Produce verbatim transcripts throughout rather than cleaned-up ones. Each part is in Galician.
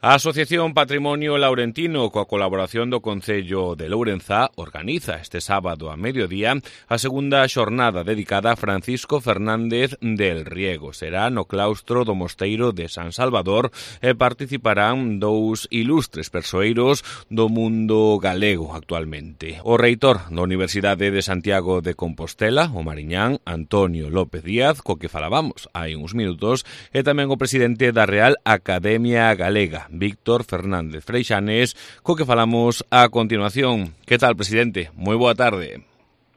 A Asociación Patrimonio Laurentino, coa colaboración do Concello de Lourenzá, organiza este sábado a mediodía a segunda xornada dedicada a Francisco Fernández del Riego. Será no claustro do Mosteiro de San Salvador e participarán dous ilustres persoeiros do mundo galego actualmente. O reitor da Universidade de Santiago de Compostela, o mariñán Antonio López Díaz, co que falábamos hai uns minutos, e tamén o presidente da Real Academia Galega, Víctor Fernández Freixanes, co que falamos a continuación. Que tal, presidente? Moi boa tarde.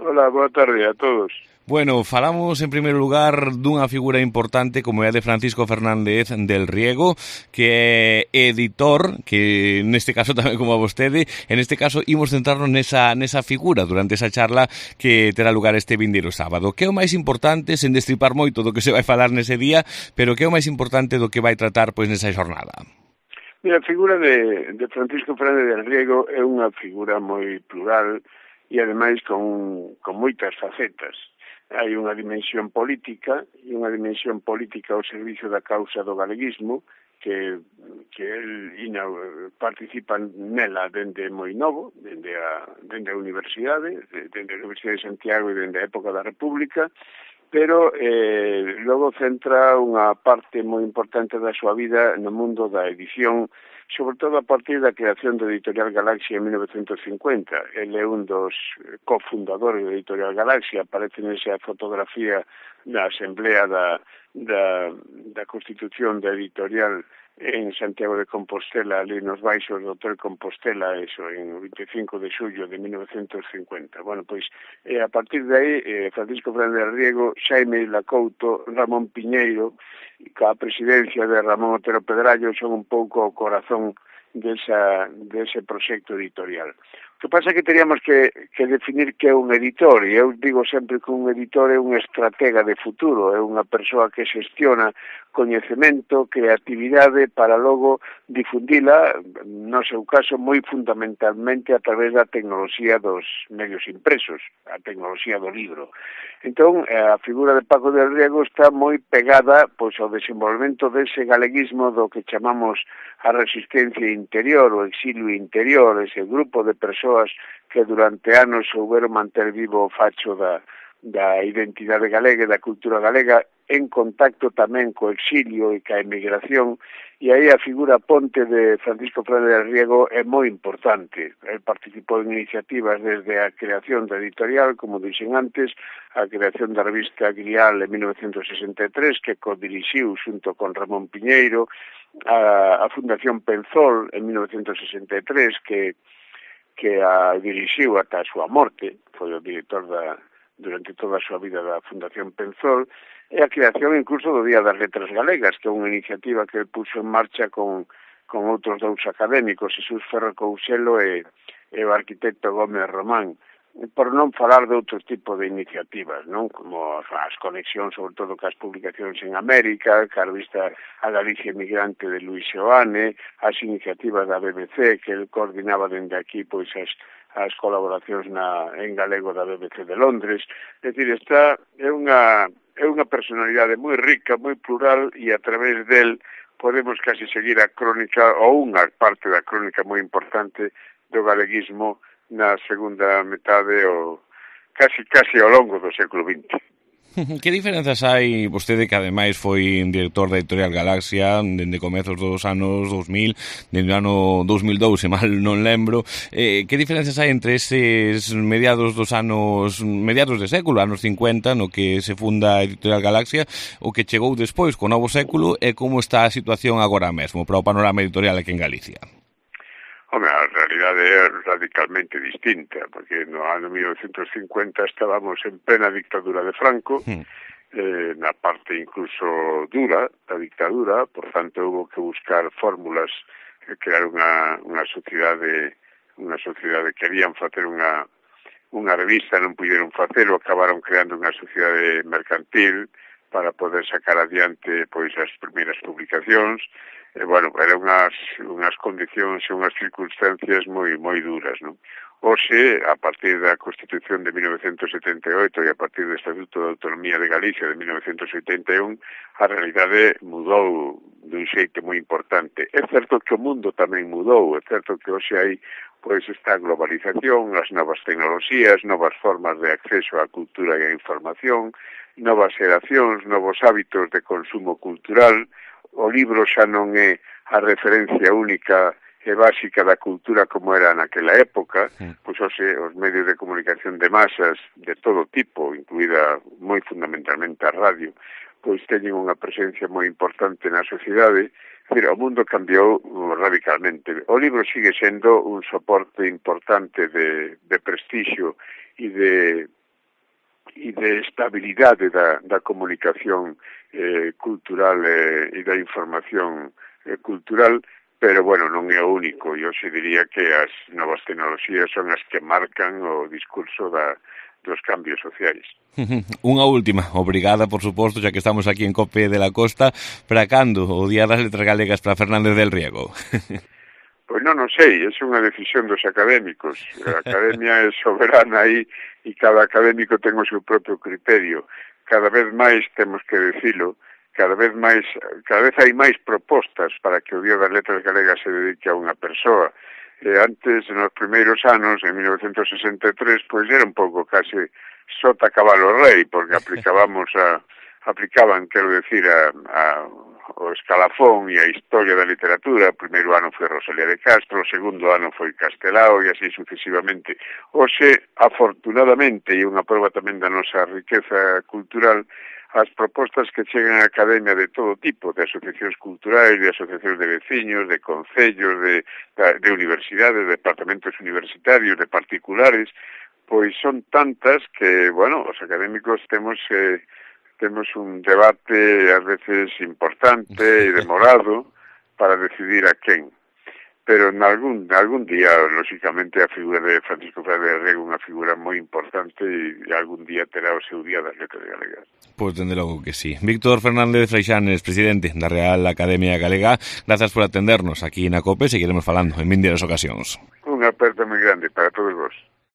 Hola, boa tarde a todos. Bueno, falamos en primeiro lugar dunha figura importante como é a de Francisco Fernández del Riego, que é editor, que neste caso tamén como a vostede, en este caso imos centrarnos nesa, nesa figura durante esa charla que terá lugar este vindeiro sábado. Que é o máis importante, sen destripar moito do que se vai falar nese día, pero que é o máis importante do que vai tratar pois nesa xornada? Mira, a figura de, de Francisco Fernández del Riego é unha figura moi plural e ademais con, con moitas facetas. Hai unha dimensión política e unha dimensión política ao servicio da causa do galeguismo que, que el ina, participa nela dende moi novo, dende a, dende a universidade, dende a Universidade de Santiago e dende a época da República, pero eh, logo centra unha parte moi importante da súa vida no mundo da edición, sobre todo a partir da creación da Editorial Galaxia en mil novecentos cincuenta. Ele é un dos cofundadores da Editorial Galaxia, aparece nesa fotografía da Asamblea da, da, da Constitución da Editorial en Santiago de Compostela, ali nos baixos do Hotel Compostela, eso, en vinte e cinco de xullo de mil novecentos cincuenta. Bueno, pois, eh, a partir de aí, eh, Francisco Fernández Riego, Xaime Lacouto, Ramón Piñeiro, e coa presidencia de Ramón Otero Pedrallo, son un pouco o corazón desa, dese proxecto editorial. O que pasa é que teríamos que, que definir que é un editor, e eu digo sempre que un editor é un estratega de futuro, é unha persoa que xestiona coñecemento, creatividade para logo difundila, no seu caso, moi fundamentalmente a través da tecnoloxía dos medios impresos, a tecnoloxía do libro. Entón, a figura de Paco del Riego está moi pegada pois, ao desenvolvemento dese galeguismo do que chamamos a resistencia interior, o exilio interior, ese grupo de persoas que durante anos souberon manter vivo o facho da, da identidade galega e da cultura galega en contacto tamén co exilio e ca emigración, e aí a figura ponte de Francisco Fernández del Riego é moi importante. El participou en iniciativas desde a creación da editorial, como dixen antes, a creación da revista Grial en mil novecentos sesenta e tres, que codirixiu xunto con Ramón Piñeiro, a, a Fundación Penzol en mil novecentos sesenta e tres, que que a dirixiu ata a súa morte, foi o director da, durante toda a súa vida da Fundación Penzol, e a creación incluso do Día das Letras Galegas, que é unha iniciativa que puxo en marcha con, con outros dous académicos, Jesús Ferro Couselo e, e o arquitecto Gómez Román, por non falar de outro tipo de iniciativas, non? Como as conexións, sobre todo, cas publicacións en América, ca revista A Galicia Emigrante de Luis Seoane, as iniciativas da B B C, que el coordinaba dende aquí, pois, as, as colaboracións na, en galego da B B C de Londres. É dicir, esta é unha, é unha personalidade moi rica, moi plural, e a través del podemos casi seguir a crónica, ou unha parte da crónica moi importante do galeguismo na segunda metade ou casi casi ao longo do século vinte. Que diferenzas hai, vostede que ademais foi director da Editorial Galaxia dende comezos dos anos dous mil, dende o ano dous mil dous, se mal non lembro, eh, que diferenzas hai entre eses mediados dos anos, mediados de século, anos cincuenta, no que se funda a Editorial Galaxia, o que chegou despois co novo século, e como está a situación agora mesmo para o panorama editorial aquí en Galicia? Home, a realidade é radicalmente distinta, porque no ano mil novecentos cincuenta estábamos en plena dictadura de Franco, mm. eh, na parte incluso dura da dictadura, por tanto, hubo que buscar fórmulas, eh, crear unha, unha sociedade, unha sociedade, querían facer unha, unha revista, non puderon facelo, acabaron creando unha sociedade mercantil para poder sacar adiante pois as primeiras publicacións, E, bueno, eran unhas, unhas condicións e unhas circunstancias moi moi duras, non? Hoxe, a partir da Constitución de mil novecentos setenta e oito e a partir do Estatuto de Autonomía de Galicia de mil novecentos oitenta e un, a realidade mudou dun xeito moi importante. É certo que o mundo tamén mudou, é certo que hoxe hai pois esta globalización, as novas tecnoloxías, novas formas de acceso á cultura e á información, novas xeracións, novos hábitos de consumo cultural. O libro xa non é a referencia única e básica da cultura como era naquela época, pois hoxe os medios de comunicación de masas de todo tipo, incluída moi fundamentalmente a radio, pois teñen unha presencia moi importante na sociedade. Decir, o mundo cambiou radicalmente. O libro sigue sendo un soporte importante de, de prestixio e de e de estabilidade da, da comunicación eh, cultural eh, e da información eh, cultural, pero, bueno, non é o único. Eu se diría que as novas tecnoloxías son as que marcan o discurso da, dos cambios sociais. Unha última, obrigada, por suposto, xa que estamos aquí en Cope de la Costa. Para cando o Día das Letras Galegas para Fernández del Riego? Pois non, non sei, é unha decisión dos académicos. A academia é soberana aí e cada académico ten o seu propio criterio. Cada vez máis temos que decilo, cada vez máis, cada vez hai máis propostas para que o Día das Letras Galegas se dedique a unha persoa. E antes, nos primeiros anos, en mil novecentos sesenta e tres, pois era un pouco case sota cabalo rei, porque aplicábamos a, aplicaban, quero decir, a, a o escalafón e a historia da literatura. O primeiro ano foi Rosalía de Castro, o segundo ano foi Castelao e así sucesivamente. Hoxe, afortunadamente, e unha prova tamén da nosa riqueza cultural, as propostas que chegan á academia de todo tipo, de asociacións culturais, de asociacións de veciños, de concellos, de, de universidades, de departamentos universitarios, de particulares, pois son tantas que, bueno, os académicos temos eh, temos un debate ás veces importante e demorado para decidir a quen. Pero en algún, algún día, lógicamente, a figura de Francisco Fernández del Riego é unha figura moi importante e algún día terá o seu Día das Letras Galegas. Pois, dende logo que sí. Víctor Fernández Freixanes, presidente da Real Academia Galega, grazas por atendernos aquí na COPE, seguiremos falando en vindeiras ocasións. Unha aperta moi grande para todos vos.